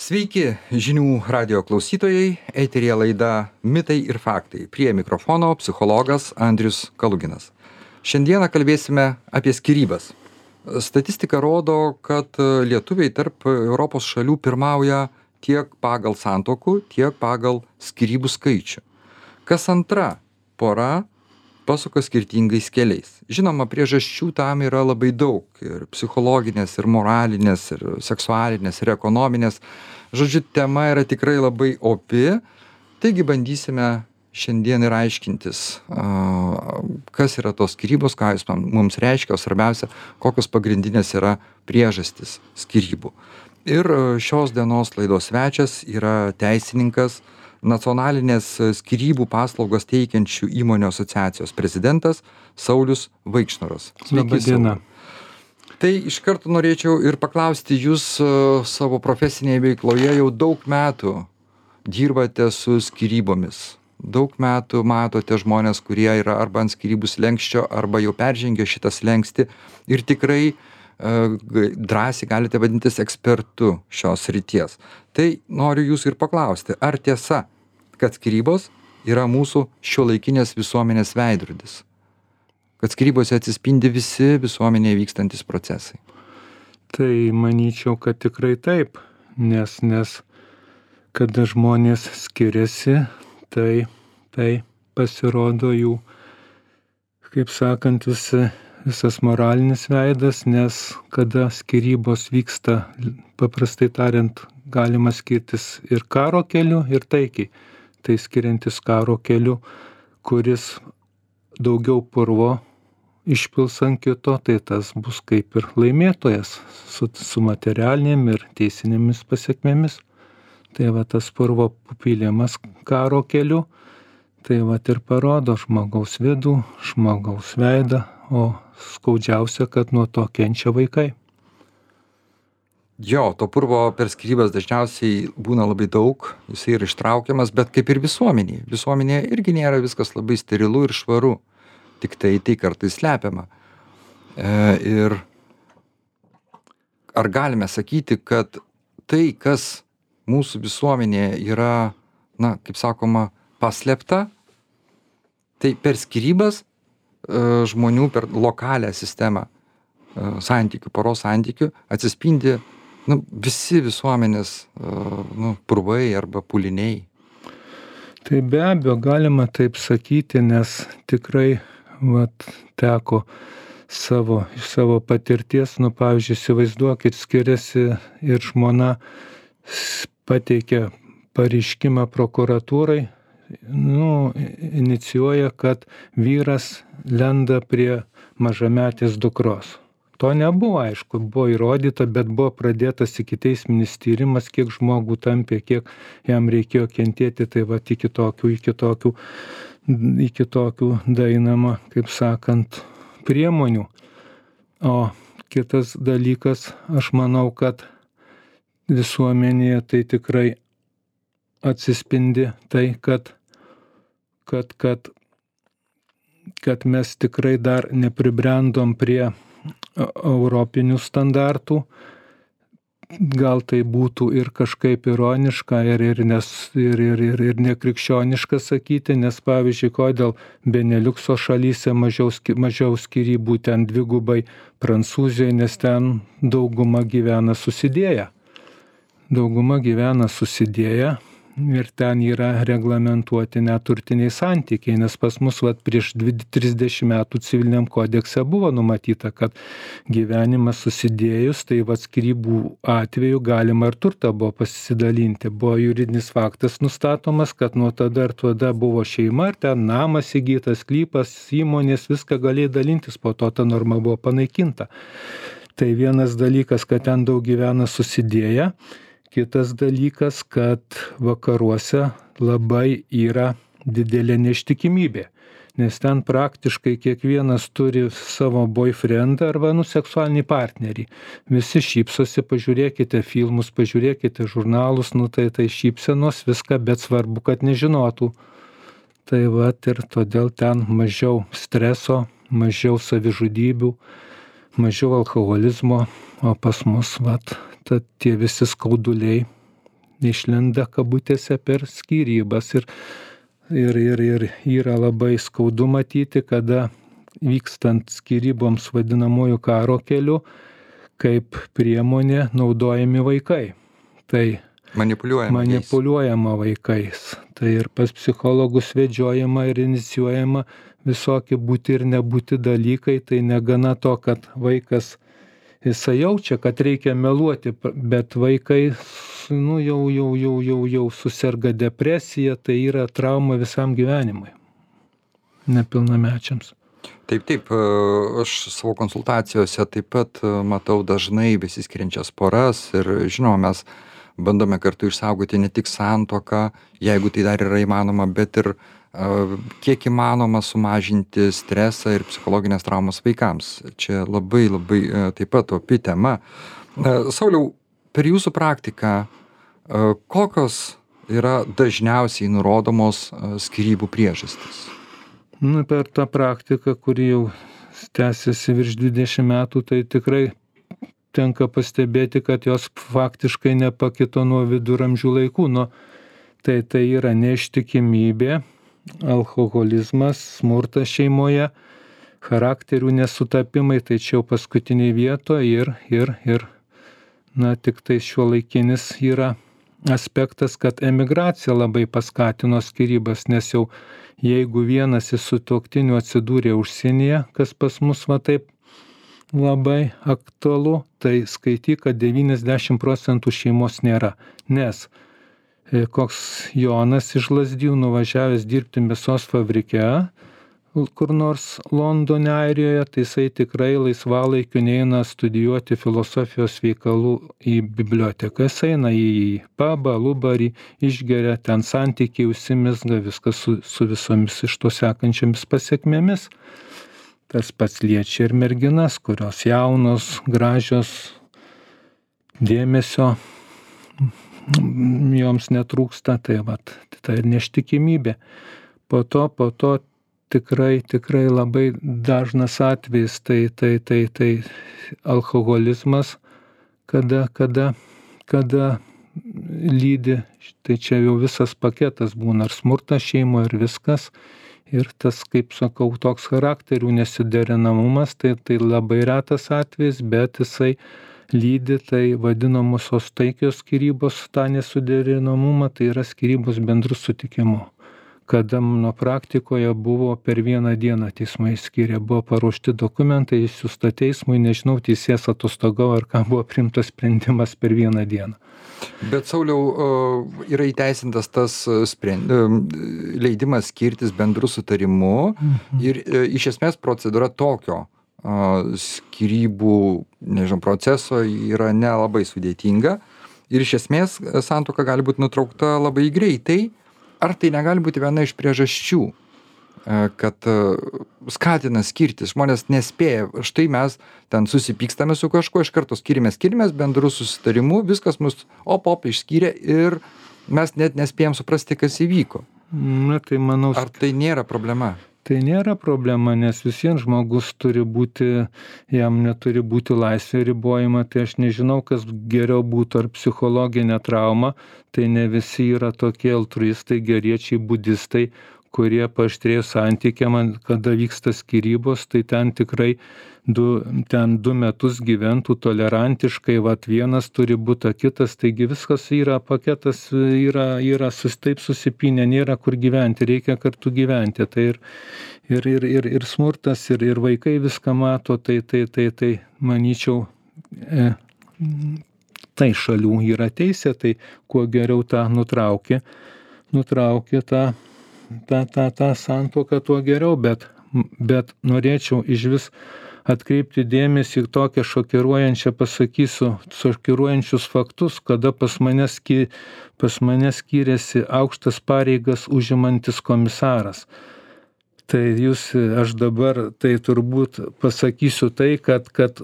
Sveiki, žinių radio klausytojai, eteryje laida Mitai ir faktai. Prie mikrofono psichologas Andrius Kaluginas. Šiandieną kalbėsime apie skyrybas. Statistika rodo, kad lietuviai tarp Europos šalių pirmauja tiek pagal santuokų, tiek pagal skyrybų skaičių. Kas antra pora pasuka skirtingais keliais. Žinoma, priežasčių tam yra labai daug. Ir psichologinės, ir moralinės, ir seksualinės, ir ekonominės. Žodžiu, tema yra tikrai labai opi. Taigi bandysime šiandien ir aiškintis, kas yra tos skyrybos, ką jūs mums reiškia, o svarbiausia, kokios pagrindinės yra priežastys skyrybų. Ir šios dienos laidos svečias yra teisininkas, Nacionalinės skyrybų paslaugas teikiančių įmonių asociacijos prezidentas Saulius Vaikšnoras. Labą dieną. Tai iš karto norėčiau ir paklausti, jūs savo profesinėje veikloje jau daug metų dirbate su skyrybomis. Daug metų matote žmonės, kurie yra arba ant skyrybų slenksčio, arba jau peržengė šitą slenkstį ir tikrai drąsiai galite vadintis ekspertu šios srities. Tai noriu jūsų ir paklausti, ar tiesa, kad skyrybos yra mūsų šiuolaikinės visuomenės veidrodis? Kad skyrybose atsispindi visi visuomenėje vykstantis procesai? Tai manyčiau, kad tikrai taip, nes kada žmonės skiriasi, tai pasirodo jų, kaip sakant, visas moralinis veidas, nes kada skyrybos vyksta, paprastai tariant, galima skirtis ir karo keliu, ir taikiai. Tai skiriantis karo keliu, kuris daugiau purvo išpils ant kito, tai tas bus kaip ir laimėtojas su materialinėm ir teisinėmis pasekmėmis. Tai va tas purvo pylimas karo keliu, tai va ir parodo žmogaus vidų, žmogaus veidą, o skaudžiausia, kad nuo to kenčia vaikai. Jo, to purvo per skyrybas dažniausiai būna labai daug, jisai yra ištraukiamas, bet kaip ir visuomenėje. Visuomenėje irgi nėra viskas labai sterilu ir švaru, tik tai kartais slepiama. Ir ar galime sakyti, kad tai, kas mūsų visuomenėje yra, kaip sakoma, paslėpta, tai per skyrybas žmonių, per lokalią sistemą santykių, poros santykių atsispindi visi visuomenės purvai arba pūliniai. Tai be abejo galima taip sakyti, nes tikrai teko iš savo patirties, pavyzdžiui, įsivaizduokit, skiriasi ir žmona pateikia pareiškimą prokuratūrai, inicijuoja, kad vyras lenda prie mažametės dukros. To nebuvo, aišku, buvo įrodyta, bet buvo pradėtas ikiteisminis tyrimas, kiek žmogų tampė, kiek jam reikėjo kentėti, tai iki tokių dainama, kaip sakant, priemonių. O kitas dalykas, aš manau, kad visuomenėje tai tikrai atsispindi tai, kad mes tikrai dar nepribrendom prie europinių standartų. Gal tai būtų ir kažkaip ironiška ir nekrikščioniška sakyti, nes pavyzdžiui, kodėl Beneliukso šalyse mažiau skyrybų, ten dvigubai Prancūzijoje, nes ten dauguma gyvena susidėję. Ir ten yra reglamentuoti neturtiniai santykiai, nes pas mus prieš 30 metų civiliniam kodekse buvo numatyta, kad gyvenimas susidėjus, tai skyrybų atveju galima ir turtą buvo pasidalinti. Buvo juridinis faktas nustatomas, kad nuo tada ir tada buvo šeima, ir ten namas įgytas, sklypas, įmonės, viską galėjo dalintis, po to ta norma buvo panaikinta. Tai vienas dalykas, kad ten daug gyvena susidėję. Kitas dalykas, kad vakaruose labai yra didelė neištikimybė, nes ten praktiškai kiekvienas turi savo boyfriendą arba seksualinį partnerį. Visi šypsosi, pažiūrėkite filmus, pažiūrėkite žurnalus, tai šypsenos viską, bet svarbu, kad nežinotų. Tai ir todėl ten mažiau streso, mažiau savižudybių, mažiau alkoholizmo, o pas mus tie visi skauduliai išlenda kabutėse per skyrybas. Ir yra labai skaudu matyti, kada vykstant skyryboms vadinamųjų karo keliu, kaip priemonė naudojami vaikai. Tai manipuliuojama vaikais. Tai ir pas psichologus vedžiojama ir inicijuojama visokie būti ir nebūti dalykai. Tai negana to, kad vaikas jisai jaučia, kad reikia meluoti, bet vaikai jau suserga depresija, tai yra trauma visam gyvenimui, nepilnamečiams. Taip, aš savo konsultacijose taip pat matau dažnai besiskiriančias poras ir žinoma, mes bandome kartu išsaugoti ne tik santuoką, jeigu tai dar yra įmanoma, bet ir kiek įmanoma sumažinti stresą ir psichologinės traumas vaikams. Čia labai taip pat opi tema. Sauliau, per jūsų praktiką, kokios yra dažniausiai nurodomos skyrybų priežastys? Per tą praktiką, kuri jau tęsiasi virš 20 metų, tai tikrai tenka pastebėti, kad jos faktiškai nepakito nuo viduramžių laikų. Tai yra neištikimybė, alkoholizmas, smurtas šeimoje, charakterių nesutapimai, tai čia jau paskutiniai vietoje ir tik tai šiuolaikinis yra aspektas, kad emigracija labai paskatino skyrybas, nes jau jeigu vienas iš sutuoktinių atsidūrė užsienyje, kas pas mus taip labai aktualu, tai skaityk, kad 90% šeimos nėra. Nes koks Jonas iš Lazdijų nuvažiavęs dirbti mėsos fabrike, kur nors Londone, Airijoje, tai jisai tikrai laisvalaikiu neina studijuoti filosofijos veikalų į biblioteką. Jis eina į pabą, lubarį, išgeria, ten santykiai užsimezga, viskas su visomis iš to sekančiamis pasekmėmis. Tas pats liečia ir merginas, kurios jaunos, gražios, dėmesio joms netrūksta, tai ir neištikimybė. Po to tikrai labai dažnas atvejis, tai alkoholizmas, kada lydi, tai čia jau visas paketas būna, ar smurtas šeimoje, ir viskas. Ir tas, kaip sakau, toks charakterių nesiderinamumas, tai labai retas atvejis, bet jisai lydi, tai vadinamosios taikios skyrybos, tą nesuderinamumą, tai yra skyrybos bendru sutikimu. Kada mano praktikoje buvo per vieną dieną teismai skyrė, buvo paruošti dokumentai, išsiųsta teismui, nežinau, teisėjas atostogavo, ar ką buvo priimtas sprendimas per vieną dieną. Bet Sauliau, yra įteisintas tas leidimas skirtis bendru sutarimu ir iš esmės procedūra tokio skyrybų, proceso yra nelabai sudėtinga ir iš esmės santuoka gali būti nutraukta labai greitai. Ar tai negali būti viena iš priežasčių, kad skatina skirtis, žmonės nespėja, štai mes ten susipykstame su kažkuo, iš karto skiriamės bendru susitarimu, viskas mus išskyrė ir mes net nespėjom suprasti, kas įvyko. Tai manau, ar tai nėra problema? Tai nėra problema, nes visiems žmogus turi būti, jam neturi būti laisvė ribojama, tai aš nežinau, kas geriau būtų, ar psichologinė trauma, tai ne visi yra tokie altruistai, geriečiai, budistai, kurie paaštrėjo santykiam, kada vyksta skyrybos, tai ten tikrai 2 metus gyventų tolerantiškai, vienas turi būti, kitas, taigi viskas yra, paketas yra taip susipinę, nėra kur gyventi, reikia kartu gyventi, tai ir smurtas, ir vaikai viską mato, tai manyčiau, tai šalių yra teisė, tai kuo geriau tą nutraukė tą santuoką, tuo geriau, bet norėčiau iš vis atkreipti dėmesį į tokią šokiruojančius faktus, kada pas mane skyrėsi aukštas pareigas užimantis komisaras. Tai aš dabar tai turbūt pasakysiu tai, kad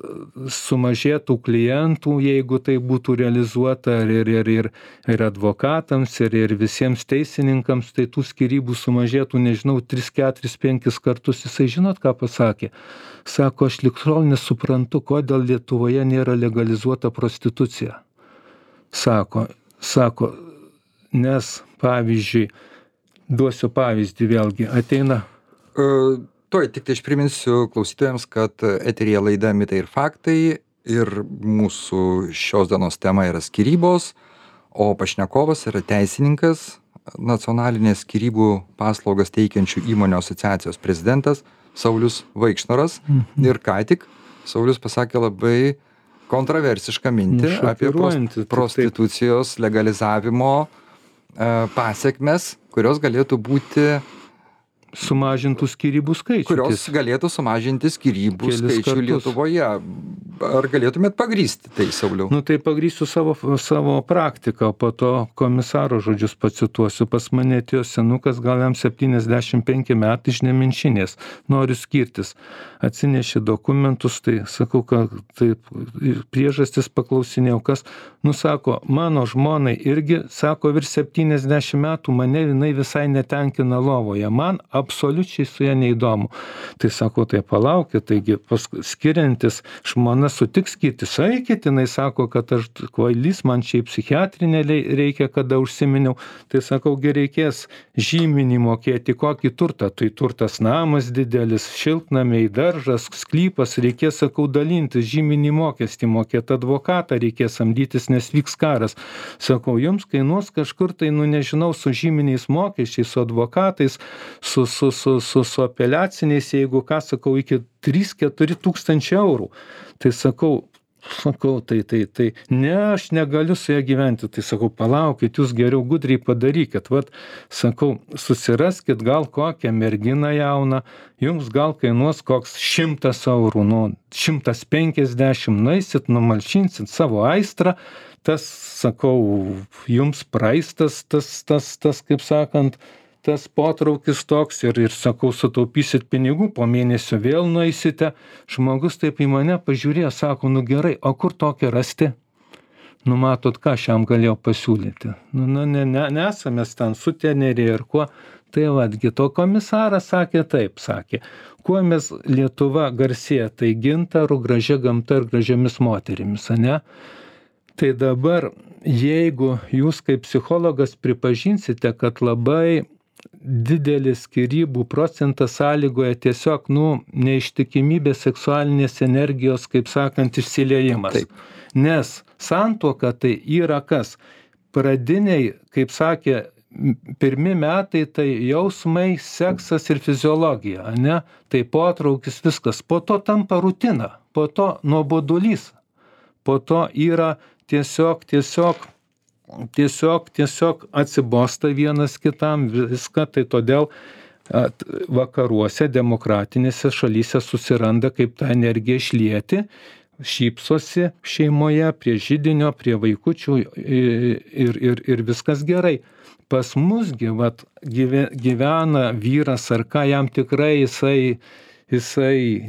sumažėtų klientų, jeigu tai būtų realizuota ir advokatams, ir visiems teisininkams, tai tų skyrybų sumažėtų, nežinau, 3, 4, 5 kartus. Jisai žinot, ką pasakė? Sako, aš lig šiol nesuprantu, kodėl Lietuvoje nėra legalizuota prostitucija. Sako, pavyzdžiui, duosiu pavyzdį vėlgi, ateina. Tuoj tik tai aš priminsiu klausytojams, kad eteryje laida Mitai ir faktai ir mūsų šios dienos tema yra skyrybos, o pašnekovas yra teisininkas, nacionalinės skyrybų paslaugas teikiančių įmonių asociacijos prezidentas Saulius Vaikšnoras. Ir ką tik Saulius pasakė labai kontroversišką mintį apie prostitucijos legalizavimo pasekmes, kurios galėtų būti sumažintų skyrybų skaičių. Kurios galėtų sumažinti skyrybų skaičių Lietuvoje. Ar galėtumėt pagrįsti tai, Sauliau? Tai pagrįsiu savo praktiką, po to komisaro žodžius pacituosiu. Pas mane atėjo senukas, gal jam 75 metai iš Nemenčinės, noriu skirtis. Atsinešė dokumentus, tai sakau, kad taip, priežastis paklausinėjau, kas, sako, mano žmonai irgi, sako, virš 70 metų mane jinai visai netenkina lovoje. Man absoliučiai su ja neįdomu. Tai sako, tai palaukit, taigi skiriantis žmona sutiks skirtis, eikit, jinai sako, kad aš kvailys, man šiaip psichiatrinė reikia, kada užsiminiau. Tai sakau, reikės žyminį mokėti, kokį turtą. Tai turtas namas didelis, šiltnamiai, daržas, sklypas, reikės, sakau, dalintis, žyminį mokestį mokėti, advokatą reikės samdytis, nes vyks karas. Sakau, jums kainuos kažkur tai, nežinau, su žyminiais mokesčiais, su advokatais, su apeliaciniais, jeigu ką, sakau, iki 3-4 tūkstančių eurų. Tai sakau, tai ne, aš negaliu su ją gyventi. Tai sakau, palaukit, jūs geriau gudriai padarykit. Sakau, susiraskit gal kokią merginą jauną, jums gal kainuos koks 100 eurų, 150, naisit, numalšinsit savo aistrą, tas, sakau, jums praeistas, tas, kaip sakant, tas potraukis toks ir sakau, sutaupysit pinigų, po mėnesio vėl nueisite. Žmogus taip į mane pažiūrėjo, sako, gerai, o kur tokią rasti? Matot, ką aš jam galėjau pasiūlyti. Nesame ten sutenerėje ir kuo. Tai vadgi, to komisaras sakė taip, sakė, kuo mes Lietuva garsėja, tai gintaru, gražia gamta ir gražiamis moterimis, ne? Tai dabar, jeigu jūs kaip psichologas pripažinsite, kad labai didelis skyrybų procentas sąlygoja tiesiog, neištikimybės seksualinės energijos, kaip sakant, išsiliejimas. Taip. Nes santuoka tai yra kas? Pradiniai, kaip sakė, pirmi metai tai jausmai, seksas ir fiziologija, ne? Tai potraukis viskas. Po to tampa rutina, po to nuobodulys, po to yra tiesiog atsibosta vienas kitam viską, tai todėl vakaruose, demokratinėse šalyse susiranda, kaip tą energiją išlieti, šypsosi šeimoje, prie židinio, prie vaikučių ir viskas gerai. Pas musgi gyvena vyras ar ką, jam tikrai jisai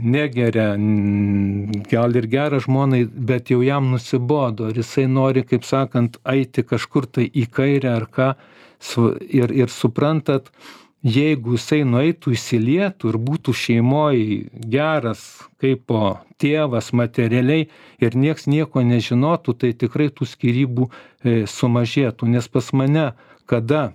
negeria, gal ir gerą žmonai, bet jau jam nusibodo ir jisai nori, kaip sakant, eiti kažkur tai į kairę ar ką. Ir suprantat, jeigu jisai nueitų, įsilietų ir būtų šeimoje geras kaip tėvas materialiai ir nieks nieko nežinotų, tai tikrai tų skyrybų sumažėtų. Nes pas mane, kada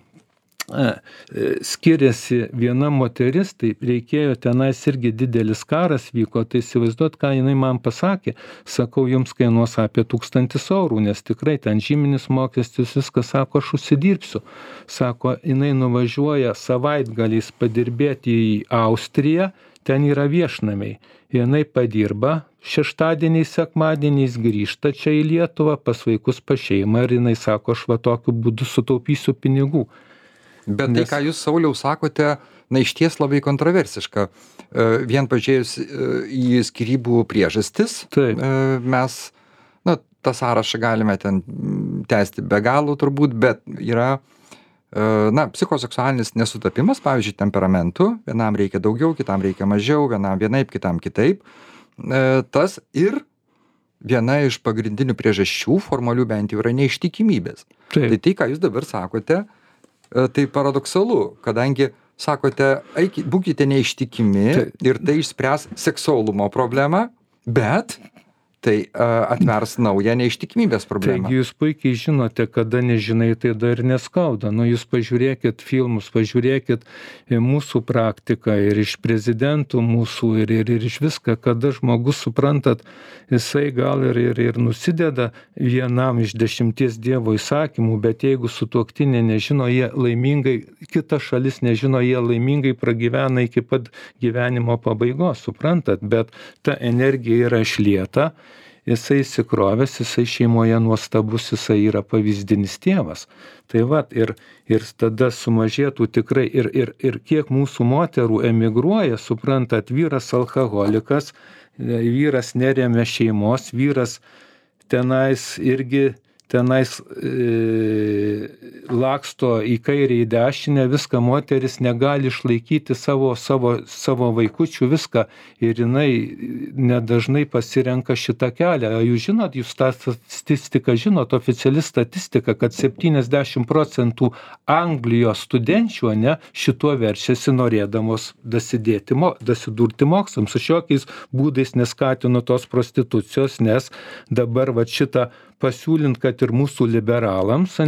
skiriasi viena moteris, tai reikėjo tenais irgi didelis karas vyko, tai įsivaizduot, ką jinai man pasakė, sakau, jums kainuos apie 1000 eurų, nes tikrai ten žyminis mokestis, viskas, sako, aš užsidirbsiu. Sako, jinai nuvažiuoja savaitgaliais padirbėti į Austriją, ten yra viešnamiai. Jinai padirba, šeštadieniais, sekmadieniais grįžta čia į Lietuvą, pas vaikus, pas šeimą ir jinai sako, aš tokiu būdu sutaupysiu pinigų. Bet tai, ką jūs, Sauliau, sakote, išties labai kontroversiška. Vien pažiūrėjus į skyrybų priežastis, mes, tą sąrašą galime ten tęsti be galo turbūt, bet yra, psichoseksualinis nesutapimas, pavyzdžiui, temperamentų, vienam reikia daugiau, kitam reikia mažiau, vienam vienaip, kitam kitaip. Tas ir viena iš pagrindinių priežasčių, formalių bent jau, yra neištikimybės. Tai, ką jūs dabar sakote, tai paradoksalu, kadangi sakote, būkite neištikimi ir tai išspręs seksualumo problemą, bet Tai atvers naują neištikimybės problemą. Taigi jūs puikiai žinote, kada nežinai, tai dar neskauda. Nu, jūs pažiūrėkit filmus, pažiūrėkit mūsų praktiką ir iš prezidentų mūsų ir iš viską, kada žmogus, suprantat, jisai gal ir nusideda vienam iš 10 Dievo įsakymų, bet jeigu sutuoktinė nežino, jie laimingai, kita šalis nežino, jie laimingai pragyvena iki pat gyvenimo pabaigos, suprantat, bet ta energija yra išlieta. Jisai įsikrovęs, jisai šeimoje nuostabus, jisai yra pavyzdinis tėvas. Tai vat, ir tada sumažėtų tikrai, ir kiek mūsų moterų emigruoja, suprantat, vyras alkoholikas, vyras neremia šeimos, vyras tenais irgi laksto į kairę, į dešinę, viską moteris negali išlaikyti savo vaikučių, viską, ir jinai nedažnai pasirenka šitą kelią. Jūs žinot, jūs tą statistiką žinot, oficiali statistika, kad 70% Anglijos studenčių šituo verčiasi norėdamos dasidurti mokslams. Su šiokiais būdais neskatino tos prostitucijos, nes dabar va šitą pasiūlint, kad ir mūsų liberalams,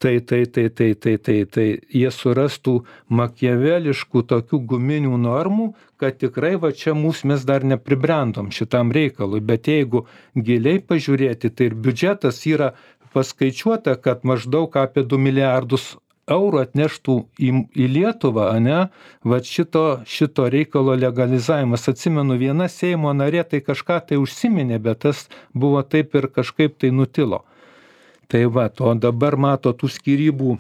tai jie surastų makiaveliškų tokių guminių normų, kad tikrai va čia mes dar nepribrendom šitam reikalui. Bet jeigu giliai pažiūrėti, tai ir biudžetas yra paskaičiuota, kad maždaug apie 2 milijardus eurų atneštų į Lietuvą, va šito reikalo legalizavimas. Atsimenu, viena Seimo narė tai kažką tai užsiminė, bet tas buvo taip ir kažkaip tai nutilo. Tai va, o dabar mato tų skyrybų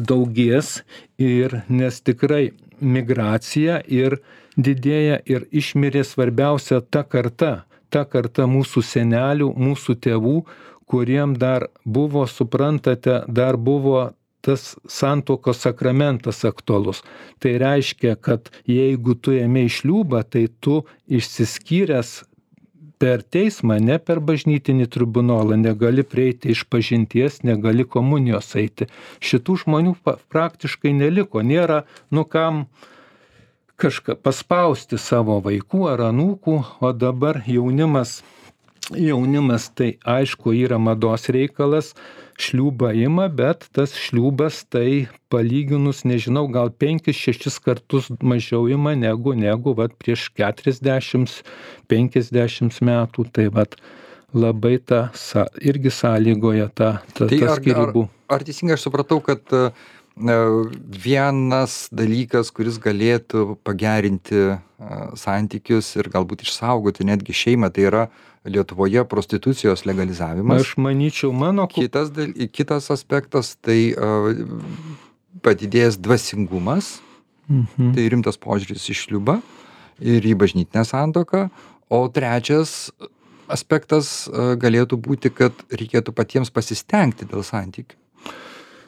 daugės, nes tikrai migracija ir didėja, ir išmirė svarbiausia ta karta mūsų senelių, mūsų tėvų, kuriem dar buvo, suprantate, dar buvo tas santuokos sakramentas aktualus. Tai reiškia, kad jeigu tu ėmei šliūbą, tai tu išsiskyręs per teismą, ne per bažnytinį tribunolą, negali prieiti išpažinties, negali komunijos eiti. Šitų žmonių praktiškai neliko. Nėra, kam kažką paspausti savo vaikų ar anūkų, o dabar jaunimas tai aišku yra mados reikalas, šliūbą ima, bet tas šliūbas tai palyginus, nežinau, gal 5-6 kartus mažiau ima negu vat prieš 40-50 metų. Tai vat labai irgi sąlygoja ta skyrybų. Ar teisingai aš supratau, kad vienas dalykas, kuris galėtų pagerinti santykius ir galbūt išsaugoti netgi šeimą, tai yra Lietuvoje prostitucijos legalizavimas. Aš manyčiau, Kitas aspektas, tai padidėjęs dvasingumas, tai rimtas požiūris į šliūbą ir į bažnytinę santuoką. O trečias aspektas galėtų būti, kad reikėtų patiems pasistengti dėl santykių.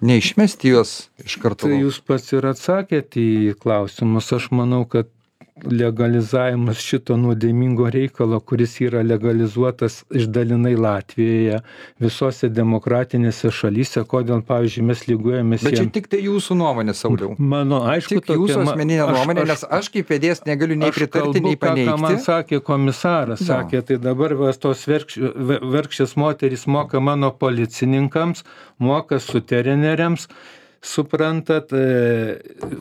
Neišmesti juos iš karto. Tai jūs pats ir atsakėte į klausimus. Aš manau, kad legalizavimas šito nuodėmingo reikalo, kuris yra legalizuotas išdalinai Latvijoje, visose demokratinėse šalyse, kodėl, pavyzdžiui, mes lygiuojamės. Bet čia tik tai jūsų nuomonė, Sauliau. Mano, aišku, tik jūsų asmeninė nuomonė, nes aš kaip vedėjas negaliu nei pritarti, nei paneigti. Ką man sakė komisaras, sakė, tai dabar tos verkščias moterys moka mano policininkams, moka sutereneriams, suprantat,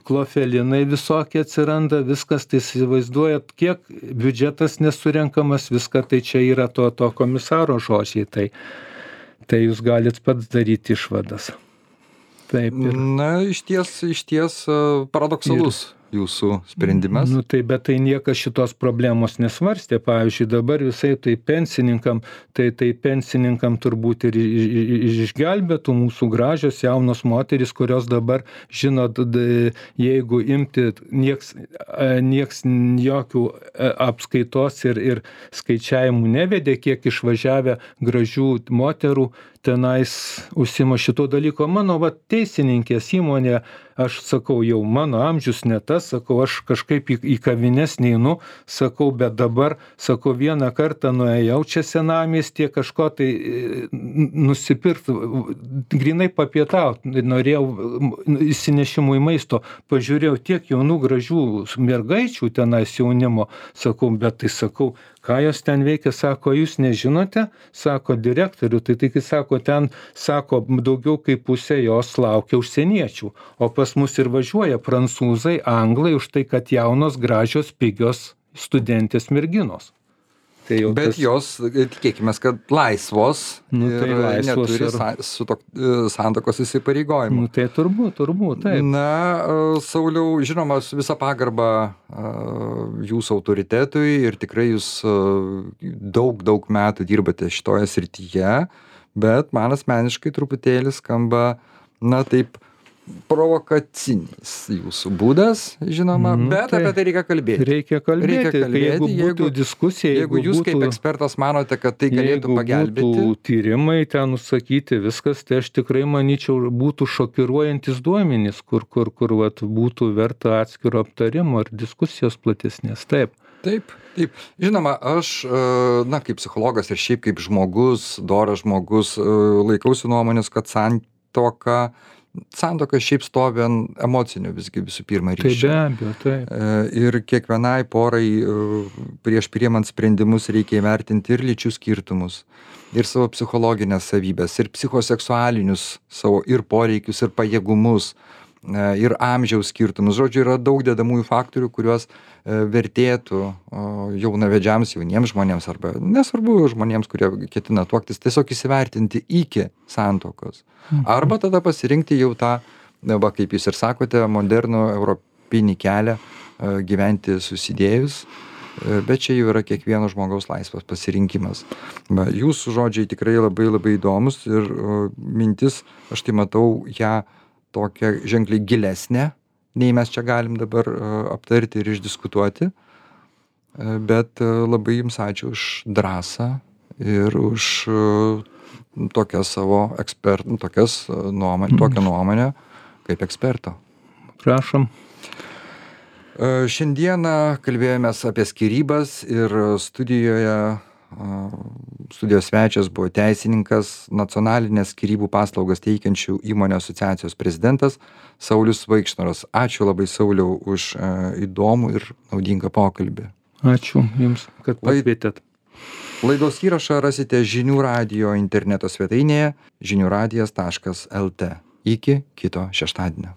klofelinai visokie atsiranda, viskas, tai įsivaizduojat, kiek biudžetas nesurenkamas, viską, tai čia yra to komisaro žodžiai, tai jūs galit pats daryti išvadas. Taip. Na, iš ties paradoksalus jūsų sprendimas. Bet tai niekas šitos problemos nesvarstė. Pavyzdžiui, dabar visai tai pensininkam turbūt ir išgelbėtų mūsų gražios jaunos moterys, kurios dabar, žinot, jeigu imti, nieks jokių apskaitos ir skaičiavimų nevedė, kiek išvažiavę gražių moterų tenais užsiima šito dalyko. Mano teisininkės įmonė, aš sakau, jau mano amžius ne tas, sakau, aš kažkaip į kavines neinu, sakau, bet dabar, sakau, vieną kartą nuėjau čia senamiestyje kažko tai nusipirkti, grinai papietauti, norėjau įsinešimui maisto, pažiūrėjau tiek jaunų gražių mergaičių tenais jaunimo, sakau, bet tai sakau, ką jos ten veikia, sako, jūs nežinote, sako direktorių, tai sako, ten, sako, daugiau kaip pusė jos laukia užsieniečių, o pas mus ir važiuoja prancūzai, anglai, už tai, kad jaunos, gražios, pigios studentės merginos. Tai bet tas... jos, tikėkime, kad laisvos, tai ir laisvos neturi santuokos įsipareigojimų. Tai turbūt, taip. Na, Sauliau, žinoma, su visa pagarba jūsų autoritetui ir tikrai jūs daug metų dirbate šitoje srityje, bet man asmeniškai truputėlį skamba, na taip, provokacinis jūsų būdas, žinoma, bet apie tai reikia kalbėti. Reikia kalbėti. Jeigu būtų diskusija, jeigu jūs kaip ekspertas manote, kad tai galėtų pagelbėti. Jeigu būtų tyrimai ten nusakyti viskas, tai aš tikrai manyčiau, būtų šokiruojantis duomenys, kur būtų verta atskiro aptarimo ir diskusijos platesnės. Taip. Žinoma, aš, kaip psichologas ir šiaip kaip žmogus, doras žmogus, laikausi nuomonės, kad santuoka šiaip stovi ant emocinio visų pirma ryšio. Tai be abejo, taip. Ir kiekvienai porai prieš priimant sprendimus reikia įvertinti ir lyčių skirtumus, ir savo psichologinės savybės, ir psichoseksualinius savo ir poreikius, ir pajėgumus, ir amžiaus skirtumus. Žodžiu, yra daug dedamųjų faktorių, kuriuos vertėtų jaunavedžiams, jauniems žmonėms, arba nesvarbu žmonėms, kurie ketina tuoktis, tiesiog įsivertinti iki santuokos. Arba tada pasirinkti jau tą, kaip jūs ir sakote, modernų europinį kelią gyventi susidėjus, bet čia jau yra kiekvieno žmogaus laisvas pasirinkimas. Jūsų žodžiai tikrai labai įdomus ir mintis, aš tai matau ją tokia ženkliai gilesnė, nei mes čia galim dabar aptarti ir išdiskutuoti, bet labai jums ačiū už drąsą ir už tokią savo tokią nuomonę kaip eksperto. Prašom. Šiandieną kalbėjomės apie skyrybas ir studijos svečias buvo teisininkas, nacionalinės skyrybų paslaugas teikiančių įmonių asociacijos prezidentas Saulius Vaikšnoras. Ačiū labai, Sauliau, už įdomų ir naudingą pokalbį. Ačiū Jums, kad pakvietėt. Laidos įrašą rasite Žinių radijo interneto svetainėje žiniųradijas.lt. Iki kito šeštadienio.